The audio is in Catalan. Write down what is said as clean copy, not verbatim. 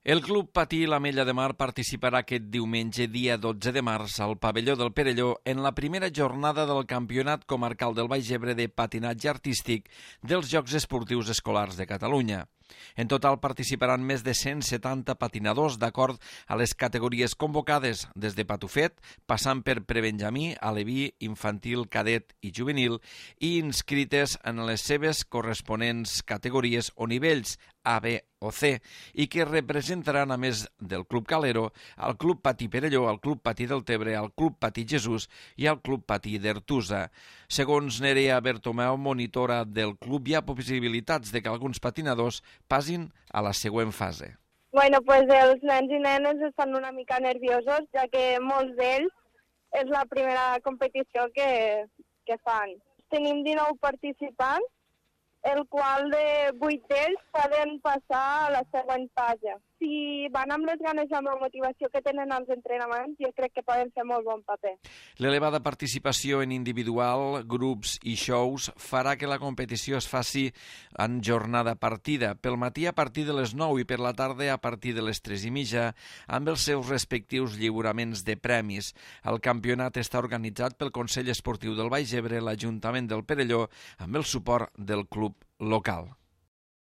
El Club Patí l'Ametlla de Mar participarà aquest diumenge, dia 12 de març, al pavelló del Perelló en la primera jornada del Campionat Comarcal del Baix Ebre de patinatge artístic dels Jocs Esportius Escolars de Catalunya. En total participaran més de 170 patinadors d'acord a les categories convocades, des de patufet, passant per prebenjamí, aleví, infantil, cadet i juvenil, i inscrites en les seves corresponents categories o nivells A, B o C, i que representaran, a més del Club Calero, al Club Patí Perelló, al Club Patí del Tebre, al Club Patí Jesús i al Club Patí d'Ertusa. Segons Nerea Bertomeu, monitora del club, hi ha possibilitats de que alguns patinadors passin a la següent fase. Bueno, pues els nens i nenes estan una mica nerviosos, ja que molts d'ells és la primera competició que fan. Tenim 19 participants, el qual de 8 d'ells poden passar a la següent fase. Si van amb les ganes i amb la motivació que tenen als entrenaments, jo crec que poden fer molt bon paper. L'elevada participació en individual, grups i shows farà que la competició es faci en jornada partida, pel matí a partir de les 9 i per la tarda a partir de les 3:30, amb els seus respectius lliuraments de premis. El campionat està organitzat pel Consell Esportiu del Baix Ebre, l'Ajuntament del Perelló, amb el suport del club local.